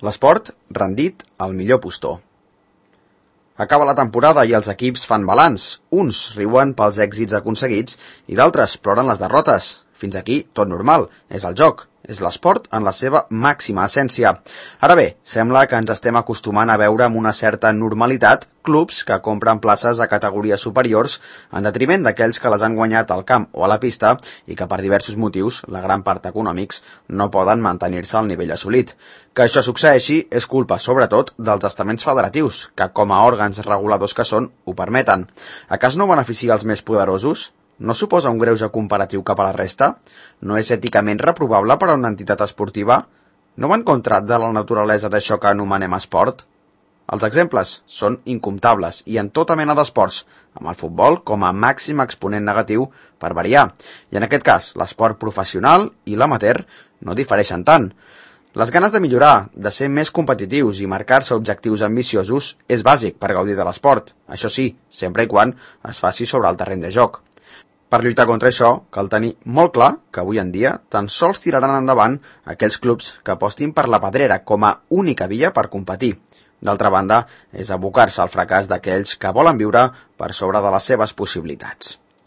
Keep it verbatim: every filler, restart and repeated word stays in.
L'esport rendit al millor postor. Acaba la temporada i els equips fan balanç. Uns riuen pels èxits aconseguits i d'altres ploren les derrotes. Fins aquí tot normal, és el joc, és l'esport en la seva màxima essència. Ara bé, sembla que ens estem acostumant a veure amb una certa normalitat clubs que compren places a categories superiors en detriment d'aquells que les han guanyat al camp o a la pista i que per diversos motius, la gran part econòmics, no poden mantenir-se al nivell assolit. Que això succeeixi és culpa, sobretot, dels estaments federatius, que com a òrgans reguladors que són, ho permeten. A cas no beneficia els més poderosos? No suposa un greuge comparatiu cap a la resta? No és èticament reprovable per a una entitat esportiva? No va en contra de la naturalesa d'això que anomenem esport? Els exemples són incomptables i en tota mena d'esports, amb el futbol com a màxim exponent negatiu per variar. I en aquest cas, l'esport professional i l'amateur no difereixen tant. Les ganes de millorar, de ser més competitius i marcar-se objectius ambiciosos és bàsic per gaudir de l'esport. Això sí, sempre i quan es faci sobre el terreny de joc. Per lluitar contra això, cal tenir molt clar que avui en dia tan sols tiraran endavant aquells clubs que apostin per la pedrera com a única via per competir. D'altra banda, és abocar-se al fracàs d'aquells que volen viure per sobre de les seves possibilitats.